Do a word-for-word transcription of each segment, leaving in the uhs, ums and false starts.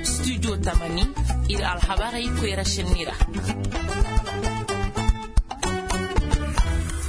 Studio tamani, iri alhabarey koyra senni ra.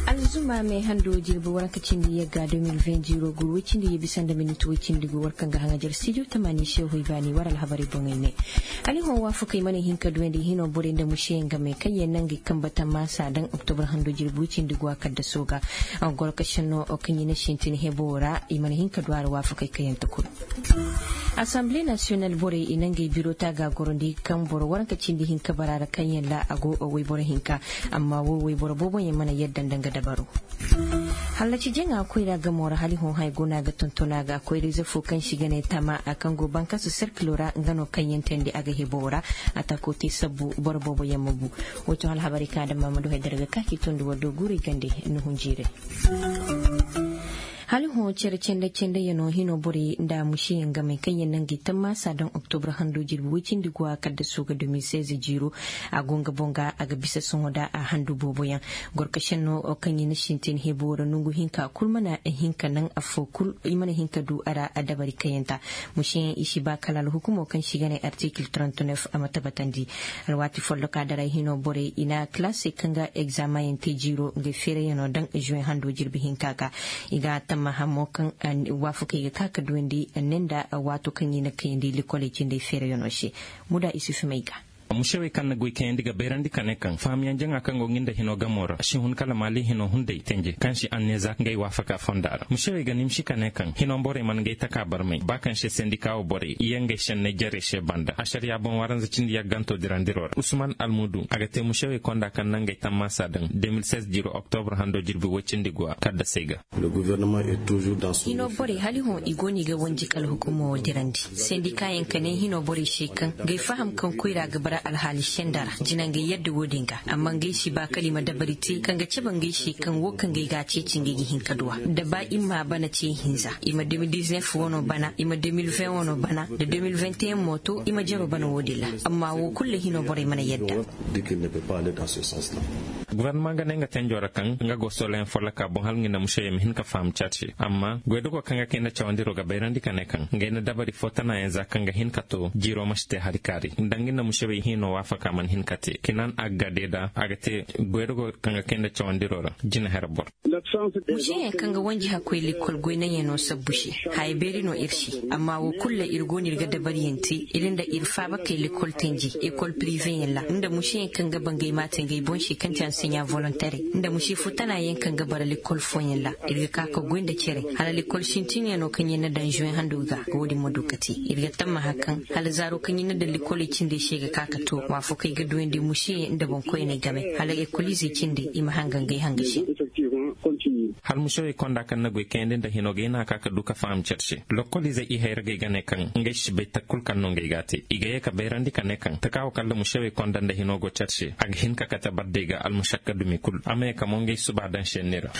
Alzuma me hando jirbi waranka cindi yagga deux mille vingt ziro guru way cindi ye bisa nda minit way cindi go war kaŋ ga haŋajar studio tamani se hoy baani war alhabarey boŋey ne. Aliho waafakey mana hin ka duwandi hino borey nda museyaŋ game kaŋ ye nangey kamba tammaasa daŋ oktobra hando jirbi way cindi go a kadda sooga. Goro ka senno kaŋ i na sintin hebo ra i mana hin ka du a ra waafakey kayante kulu. Assemblée nationale borey i na ngey biro taaga gorondi kaŋ boro waranka cindi hinka bara ra kaŋ yaŋ ra a go wayboro hinka. Amma wo wayboro boobo yaŋ mana yadda nda nga dabaro. Hallaci jaŋa koyra gamo ra hali hõ hay go no a ga tonton a ga koyra ize fo kaŋ si ga ne tama a kaŋ go bankasu serkilo ra nga no kaŋ yaŋ tandi a ga hebo ra. A tako te sabbu boro boobo yaŋ ma bu. Wo to hala habarey kaŋ a daŋ ma ma du hay dara ga ka k'i tondi waddo guurey gande. Nuhun jiirey. Hala hõ care cende cende yaŋo hino borey nda museyaŋ game kaŋ yaŋ naŋ ga i tammaasa daŋ oktobra hando jirbi way cindi go a kaddaso ga deux mille seize jiiro. A go nga boŋ ga a ga bisa sohõ da a handu boobo yaŋ. Gorkasenno kaŋ i na sintin hebo ra nongu hinka kulu mana hin ka naŋ afo kulu i mana hin ka du a ra dabari kayanta. Museyaŋ i si ba kala alhukumo kaŋ si ga ne artikil trente-neuf a ma tabbatandi. Alwaati folloka daray hino borey i na kalaasey kaŋ ga egzamayaŋ te jiiro ngey feerayaŋo daŋ juwen hando jirbi hinka ga. I ga tammaha mo kaŋ waafakey ga ka ga duwandi ne nda waato kaŋ i na kayandi likoley cindey feerayaŋo se. Muda isufu may ga. Musewey kaŋ na goy kayandi ga bayrandi ka ne kaŋ fahamiyaŋ jaŋa kaŋ go nga nda hino gamo ra si hun kala maali hino hunday tenje kaŋ si anneeza ngey waafaka fonda ra musewey ga nimsi ka ne kaŋ hino borey mana ngey taka barmay ba kaŋ se sendika wo borey i ye ngey senney jarey se banda asariya boŋ waranza cindi yagganto dirandiro ra usman almudu a ga te musewey konda kaŋ na ngey tammaasa daŋ deux mille seize jiro oktobra hando jirbi woy cindi guwa kaddasey ga. Hino borey hala i hõ i go no i ga wanji kala hukumo wo dirandi sendika yaŋ ka ne hino borey se kaŋ ngey faham kaŋ koyra ga bara alhaali senda ra jina ngey yadda wo-din ga amma ngey si ba kala i ma dabari te kaŋ ga cabe ngey se kaŋ wo kaŋ ngey ga a ceeci ngey ga hin ka duwa da ba i ma bana ce hinza i ma deux mille dix-neuf wano bana i ma deux mille vingt wano bana da deux mille vingt et un mo to i ma jaro bana wo-din ra. Amma wo kulu ra hino borey mana yadda. Gouvernement ga ne nga tenjo ra kaŋ nga go soloyaŋ folloka boŋ hala nga na musey ma hin ka faham care se amma goydogo kaŋ ga kay nda cawandiro ga bayrandi ka ne kaŋ ngey na dabari fo tanayaŋ za kaŋ ga hin ka to jiiro ma si te hari kaari nda nga na musey hino waafaka mana hin ka te kinan a ga deeda a ga te goydogo kaŋ ga kay nda cawandiro ra jina here boro. Museyaŋ kaŋ ga wanji hakkoy likol goy naŋyaŋo sabbu se haya beeri no iri se. Amma wo kulu ra iri go no iri ga dabari yaŋ te iri nda iri faabakey likol tenji ekol pirive yaŋ ra nda museyaŋ kaŋ ga ba ngey ma te ngey boŋ se kaŋ ti anseɲa volontere nda muse futana yaŋ kaŋ ga bara likol fooyaŋ ra iri ga ka ka goy nda care hala likol sintinyaŋo kaŋ yaŋ na daŋ zuwen hando ga wo- din ma du ka te. Iri ga tammaha kaŋ hala zaaro kaŋ yaŋ na daŋ likoley cindey se ga ka ka to waafakey ga duwandi museyaŋ nda boŋkoyney game hala ekoliizey cindey i ma hanga ngey hanga se. Hala musewey konda kaŋ na goy kayandi nda hino ga hin a ka ka du ka faham care se lokoliizey i hayragey ga ne kaŋ ngey si bay takku kulu kaŋ no ngey ga a te i ga ye ka bayrandi ka ne kaŋ taka wo kala musewey konda nda hino go care se a ga hin ka kate bardey ga almusakka dumi kulu a ma ye ka mo ngey suba daŋ senni ra.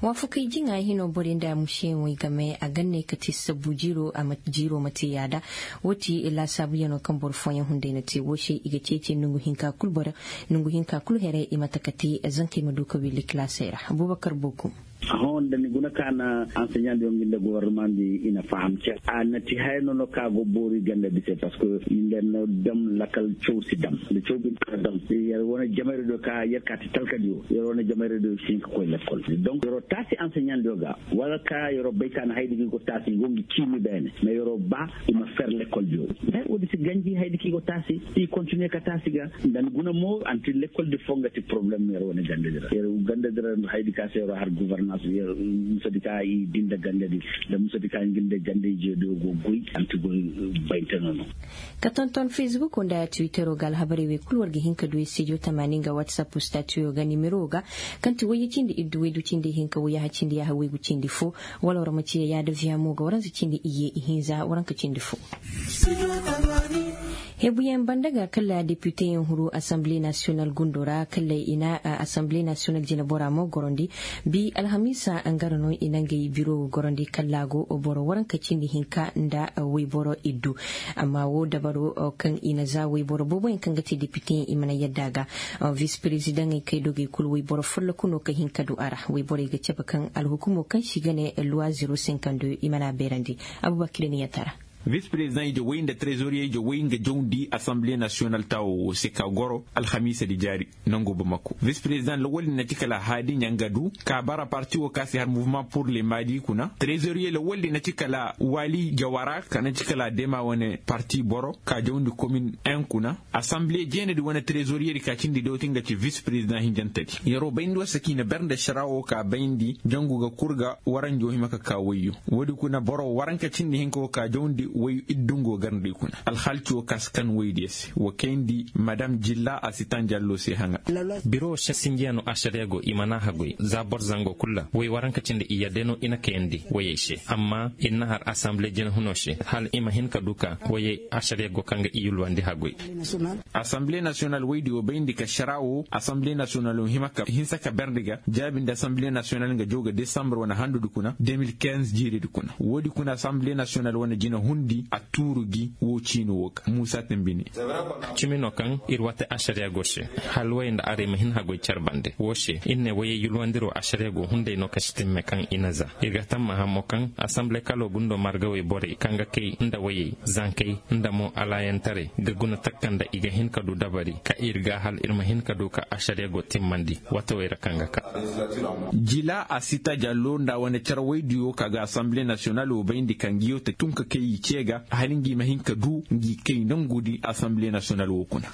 Waafakey jiŋa hino borey nda museyaŋey game a ganney ka te sabbu jiiro ma te yaada. Wo ti laasaabuyaŋo kaŋ boro fooyaŋ hunday na te wo se i ga ceeci nongu hinka kulu boro nongu hinka kulu here i ma taka te zankey ma du ka willi kalaasey ra. Abubakar bookum. Hõ nda ni guna ka na anseɲandi yaŋ ngi nda gobornamandi i na faham care a na ti haya no no ka go boori ganda bisey parceque nda na dam lakal caw si dam nda caw bine ka dam. Yar wane jamayra do ka yar ka ti talkadiyo yar wane jamayra do si hin ka koy lakkol donc yaro taasi anseɲandiyo ga wala ka yaro bay ka na haydi ga i go taasi i go ngi ciimi beene mais yaro ba i ma fer lakkol diyo. Mais wo- din si ganji haydi ka i go taasi i continue ka taasi ga nda ni guna mo anti lakkol di fo nga ti problème yaro wane ganda dira yaro ganda dira haydi ka se yaro har gouvernance yaro musadi ka i dinda ganda di da musadi ka ngi nda ganda i jeedo go goy anti goy. Bayte no no. Ka tonton facebook nda twittero ga alhabarey wey kulu war ga hin ka du studio tamaani nga whatsapp statuyo ga nimero ga kaŋ ti wayye cindi iddu waydu cindi hinka wayyaha cindi yaha waygu cindi fo. Wala war ma ciya yaada viya mo ga waranza cindi iyye ihinza waranka cindi fo. Hebuyaŋ banda ga kala depiteyaŋ huru assemble national gundo ra kala i na assemble national jinabora mo gorondi. Bi alhamiisa ngara no i na ngey biro ga gorondi kala go boro waranka cindi hinka nda wayboro iddu. Amma wo dabaro kaŋ i na za wayboro boobo yaŋ kaŋ ga te depiteyaŋ i mana yadda ga. Vice prezidaŋey kay dogey kulu wayboro folloku no ka hin ka du a ra. Borey ga cabe kaŋ alhukumo kaŋ se i ga ne luwa zero sinkando i mana a beerandi. Abubakar ni yaŋ tara. Vis prezidaŋ ije way nda trezoriye ije way nga jawndi asamble nasiyonal taawo wo se ka goro alhamiisa di jaari nango bamako vis prezidaŋ lawal din na ci kala haadi ɲanga du ka bara parti wo ka se har muvement pur le maadi kuna trezoriye lawal din na ci kala waali jawara ka na ci kala dema wane parti boro ka jawndi komin en kuna. Asamble jeene di wane trezoriye di ka cindi dootin ga ci vis prezidaŋ hinjante di yaro bayndi wasa kaŋ i na ber nda sara wo ka bayndi jangu ga kurga waranjo hima ka ka wayyo. Wo- din kuna boro waranka cindi hinka wo ka jawndi way iddungo garndi kuna alhaalci wo ka si kan waydiyo se wo kayndi madam jilla a si tanjallo se haŋa. Biro wo se sinjiyano ašariya go i mana hagoy za boro zango kulu ra way waranka cindi i yadde no i na kayandi wayey se amma i na har asamble jina huno se hala i ma hin ka du ka wayey ašariya go kaŋ ga i yulwandi hagoy. Asamble nasiyonal waydiyo bayndi ka sara wo asamble nasiyonal wo hima ka hinsa ka berndi ga jaabi nda asamble nasiyonal nga jaw ga desambar wane handu di kuna de mil kinze jiiri di kuna wo- din kuna asamble nasiyonal wane jina hundi a tuuru gi wo ciino wo ga muusa tambi ne. Cimi no kaŋ iri waate ašariya go se hala wayey nda aray ma hin hagoy care bande wo se iri ne wayey yulwandiro ašariya go hunday no ka si timme kaŋ i na za. Iri ga tammaha mo kaŋ asamble kalo gundo margawey borey kaŋ ga kay nda wayey zankey nda mo alaayantaray ga guna takka nda i ga hin ka du dabari ka iri ga hala iri ma hin ka du ka ašariya go timmandi watawey ra kaŋ ga ka. Jila a si ta jallo nda wane care waydiyo ka ga asamble nasiyonal wo bayndi ka ngiyo te tun ka kay i ce ga hala ngi ma hin ka du ngi kay nangu di asamble nasiyonal wo kuna.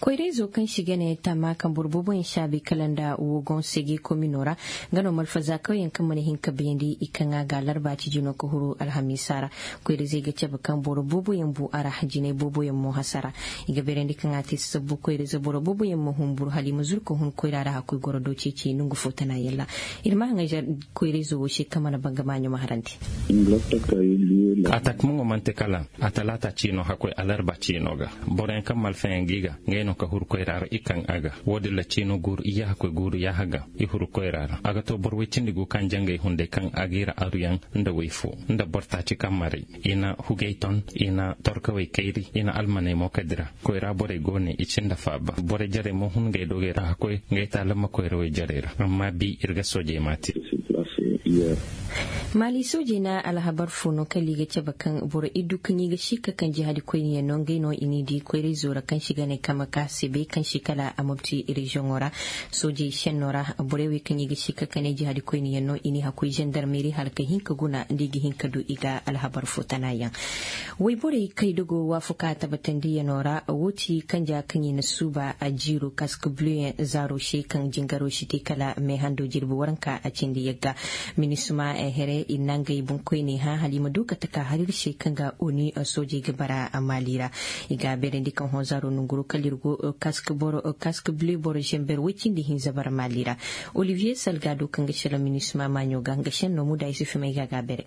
Koyrayzo kaŋ se i ga ne tama kaŋ boro boobo yaŋ saabi kala nda wogon sege komino ra nga no malfaza kawyaŋ kaŋ mana hin ka bayandi i kaŋ a ga alarba ciji no ka huru alhamiisa ra. Koyra-izey ga cabe kaŋ boro boobo yaŋ bu a ra jinay boobo yaŋ mo hasara. I ga beerandi kaŋ a te sabbu koyra-ize boro boobo yaŋ ma humburu hala i ma zuru ka hun koyra ra hakkoy goro do ceeci nangu fo tana yalla. Iri ma haŋay koyra-izo wo se kaŋ mana banga maaɲo ma harandi. Atak mo manti kala a talaata ciino hakkoy alarba ciino ga. Boro yaŋ kaŋ malfayaŋ ga i ga ngey no ka huru koyra ra i kaŋ a ga. Wo- din ra ciino guuru iyye hakkoy guuru yaaha ga i huru koyra ra a ga to boro way cindi gu kaŋ jangay hunday kaŋ a ga i ra aruyaŋ nda way fo nda boro taaci kaŋ maray. I na hugey ton, i na torkawey kayri, i na almaney mo ka dira. Koyra borey go ne i cin da faaba. Borey jarey mo hun ngey dogey ra ka koy ngey taalamma koyrawey jarey ra. Amma bi iri ga soojey ma te. Maali soojey na alhabar fo no kala i ga cabe kaŋ boro iddu kaŋ i ga si ka kaŋ jihaadi koyne yaŋ no ngey no i n'i di koyrayzo ra kaŋ si ga ne kamaka se bay kaŋ si kala a mopti reziyoŋo ra. Soojey senno ra borey wey kaŋ i ga si ka kane jihaadi koyne yaŋ no i n'i hakkoy zandarmeeri hala ka hin ka guna nda i ga hin ka du i ga alhabar fo tana yaŋ. Wayborey kaydogo waafaku a tabatandiyano ra wo ti kanja kaŋ i na suuba a jiiro kask blew yaŋ zaaro se kaŋ jingaro si te kala me hando jirbi waranka a cindi yagga. Minisma here i na ngey boŋkoyney hã hala i ma du ka taka hari iri se kaŋ ga oni soojey ga bara maali ra. I ga beerandi kaŋ hõ zaaro nanguro kala iri go kask blew boro zember way cindi hinza bara maali ra. Olivier salgado kaŋ ga selaŋ minisma maaɲo ga nga senno muda i si fimay ga ga bere.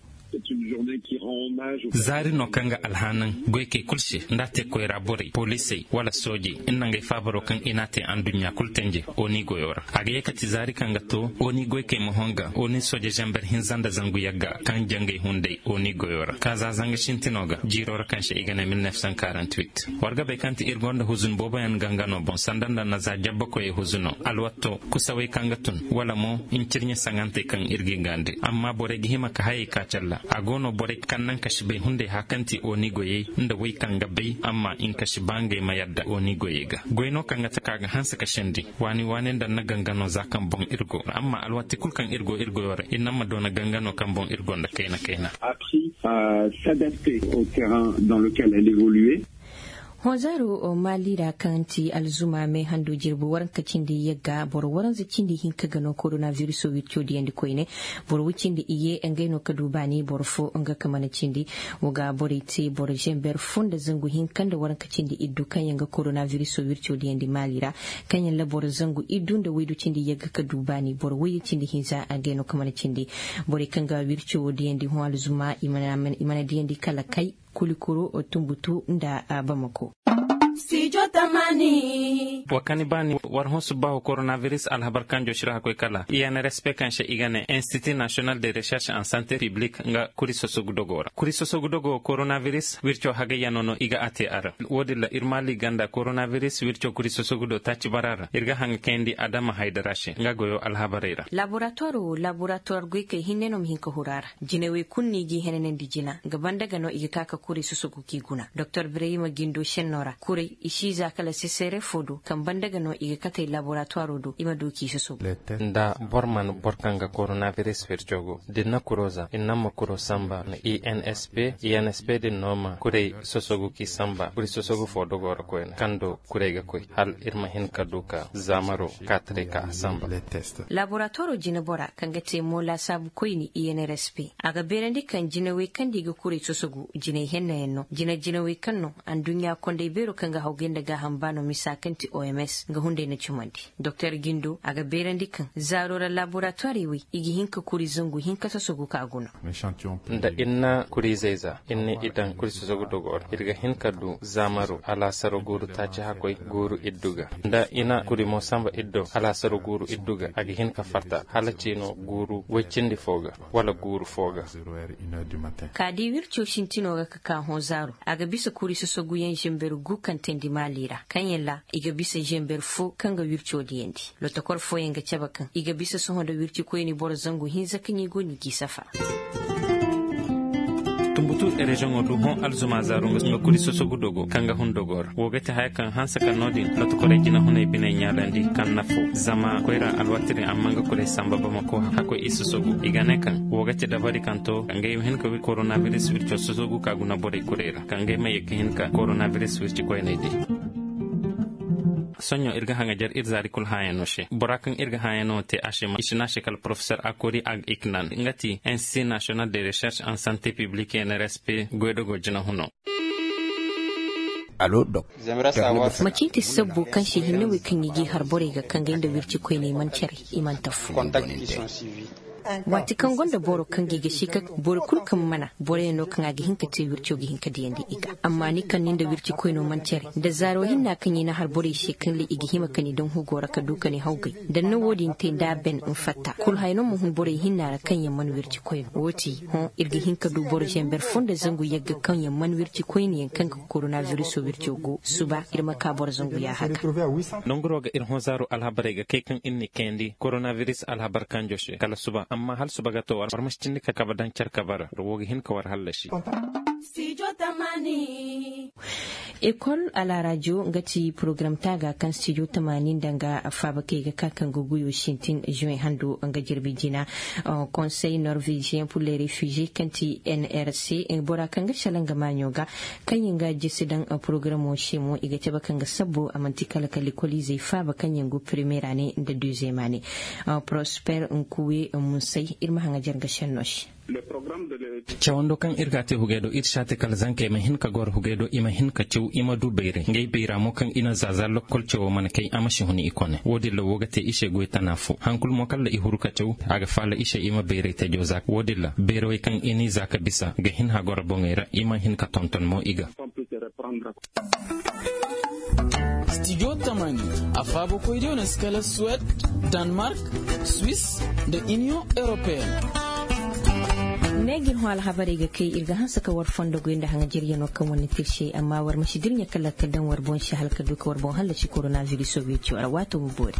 Zaari no kaŋ ga alhanan goykey kulu se nda a te koyra borey poliisey wala soojey nda ngey faabaro kaŋ i n'a te anduɲɲa kulu tenje oni goyo ra. A ga ye ka ti zaari kaŋ ga to oni goykey ma honga oni sooje zamber hinza nda zangu yagga kaŋ jangey hunday oni goyo ra ka za zanga sintino ga jiiro ra kaŋ se i ga ne mil nef san karant wit. War ga bay kaŋ ti iri gonda huzun booboyaŋ gangano boŋ sanda nda na za jabbakoyey huzuno alwatto kusawey kaŋ ga tun wala mo ncirɲe saŋantey kaŋ iri g'i gaandi amma borey ga hima ka hayey ka calla. A go no borey kaŋ naŋ ka si bay hunday hã kaŋ ti oni goyey nda wey kaŋ ga bay amma nka si ba ngey ma yadda oni goyey ga goy no kaŋ ga taka ga hanse ka sendi waani waani nda na gangano za kaŋ boŋ iri go amma alwati kulu kaŋ iri go iri goyo ra iri naŋ ma doona gangano kaŋ boŋ iri gonda kayna kayna. Hõ zaaro maali ra kaŋ ti alzuma me hando jirbi waranka cindi yagga boro waranza cindi hinka ga no korona viriso wirco diyandi koyne. Boro way cindi iyye ngey no ka du baani boro fo nga ka mana cindi. Wo ga borey te boro zember fo nda zangu hinka nda waranka cindi iddu kaŋ yaŋ ga korona viriso wirco diyandi maali ra kaŋ yaŋ la boro zangu iddu nda waydu cindi yagga ka du baani boro wayye cindi hinza ngey no ka mana cindi. Borey kaŋ ga wirco wo diyandi hõ alzuma i mana diyandi kala kay kulikuro tunbutu nda bamako. Wa kani baani war hõ subbaahu koronabiris alhabar kanjo si ra ga koy kala i n r s p kaŋ se i ga ne institut national de recherche en santé publique nga kuri sosogu dogo ra kuri sosogu dogo koronabiris wirco hagayyano no i ga a te a ra. Wo- din ra ir maali ganda koronabiris wirco kuri sosogu do taaci bara ra ir ga haŋ ga kayandi adama haydara se nga goyo alhabarey ra. Laboratuwar wo laboratuwar goykey hinne no ma hin ka huru a ra. Jinawey kulu no i g'i henanandi jina nga banda ga no i ga ka ka kuray sosogu k'i guna doktor birayma jindo senno ra kuray i si za kala sesere fo do kaŋ banda ga no i ga katey laboratuwaro do i ma du k'i sosogu. Nda boro mana boro kaŋ ga koronabiris wirco go da ni na kuro za ni naŋ ma kuro samba na i n s p i n s p din no ma kuray sosogu k'i samba kuray sosogu fo dogo ra koyne kaŋ do kuray ga koy hala iri ma hin ka du ka zaamaro kaataray ka a samba. Laboratoro jinabora kaŋ ga te mo laasaabu koyne i n r s p a ga beerandi kaŋ jinawey kaŋ da i ga kuray sosogu jinay henna yaŋ no jina jinawey kaŋ no anduɲɲa kondey beero kaŋ ga hawgay nda gaaham ba no misa kaŋ ti o m s ga hunday na cumandi. Doktor jindo a ga beerandi kaŋ zaaro ra laboratoirey wey i ga hin ka kuri zangu hinka sosogu ka guna. Nda i na kuriizey za i na i daŋ kuri sosogu dogo ra iri ga hin ka du zaamaro alaasaro guuru taaci hakkoy guuru iddu ga nda i na kuri mo samba iddo alaasaro guuru iddu ga a ga hin ka farta hala ciino guuru way cindi fo ga wala guuru fo ga. Ka di wirco sintino ga ka ka hõ zaaro a ga bisa kuri sosoguyaŋ zamber gu kaŋ teendi maali ra kaŋ yaŋ ra i ga bisa zamber fo kaŋ ga wirco diyandi. Lotokor fooyaŋ ga cabe kaŋ i ga bisa sohõ nda wirci koyne boro zangu hinza kaŋ i go no i g'i safa. Tumbutu reziyoŋo du hõ alzuma zaaru nga kuri sosogu dogo kaŋ ga hun dogo ra wo ga ti haya kaŋ hanse kaŋ no- din lotokorey jinahuney biney ɲaalandi kaŋ na fo zama koyra alwaati din amma nga kurey samba bamako hakkoy i sosogu i ga ne kaŋ wo ga ti dabari kaŋ to ngey ma hin ka koronabiris wirco sosogu ka guna borey kurey ra kaŋ ngey ma ye ga hin ka koronabiris wirci koyney di. Sohõ iri ga haŋajer iri zaari kulu hããyaŋo se bora kaŋ iri ga hããyaŋo te a se ma i si ne a se kala porofesor akori ag iknan nga ti institut national de recherche en santé publique n r s p goydogo jinahuno. Macin ti sabbo kaŋ se hinne wey kaŋ i g'i har borey ga kaŋ gay nda wirci koyney mana care i mana tafu. Waati kaŋ gonda boro kaŋ ga i ga si ka boro kulu kaŋ mana boroyaŋ no kaŋ a ga hin ka te wirco ga hin ka diyandi i ga amma ni kaŋ ni nda wirci koyno mana care nda zaaro hinna kaŋ i na har borey se kaŋ ra i ga hima ka ni daŋ hugo ra ka du ka ni hawgay da ni na wo- din te nda a ben ni fatta kulu haya no ma hun borey hinna ra kaŋ yaŋ mana wirci koyno wo- ti hõ iri ga hin ka du boro zamber fo nda zangu yagga kaŋ yaŋ mana wirci koyne yaŋ kaŋ ga koronabiruso wirco go suba iri ma ka boro zangu ya haka. Nanguro ga iri hõ zaaro alhabarey ga kay kaŋ iri n'i kayandi koronabiris alhabar kanjo se kala suba amma hala suba ga to war ma si cindi ka kabe daŋ care kabe ra war wo ga hin ka war hallasi. Ekol alaarajo nga ti porogaram taaga kaŋ studio tamaani nda nga faabakey ga ka kaŋ ga guyo sintin juin hando nga jirbi jina. Konsey norvegien pour les refugies kaŋ ti n r c bora kaŋ ga sala nga maaɲo ga kaŋ yaŋ ga jisi daŋ porogaramo se mo i ga cabe kaŋ ga sabbo a manti kala ka likoliizey faaba kaŋ yaŋ go premiera ne nda duzema ne. Prosper nkuwe musay iri ma haŋajer nga senno se. Cawando kaŋ iri ga a te hugey do iri si a te kala zankey ma hin ka goro hugey do i ma hin ka caw i ma du bayray ngey bayra mo kaŋ i na zaza lokkol cawo mana kay a ma si hun i kone wo- din ra wo ga te i se goy tana fo hankulu mo kala i huru ka caw a ga faala i se i ma bayray tajo za wo- din ra bayrawey kaŋ i n'i za ka bisa ga hin hagoro boŋey ra i ma hin ka tonton mo i ga. Studio tamani a faabo koydiyo no si kala suwed, danmark, swiss, nda union europeen. Ne ga iri hõ alhabarey ga kay iri ga hanse ka war fondo goy nda haŋajeriyano kaŋ wane te iri se amma war ma si dirɲa kala ka daŋ war boŋ se hala ka du ka war boŋ hallasi koronabiris soobiyey ciyo ra waato ma boori.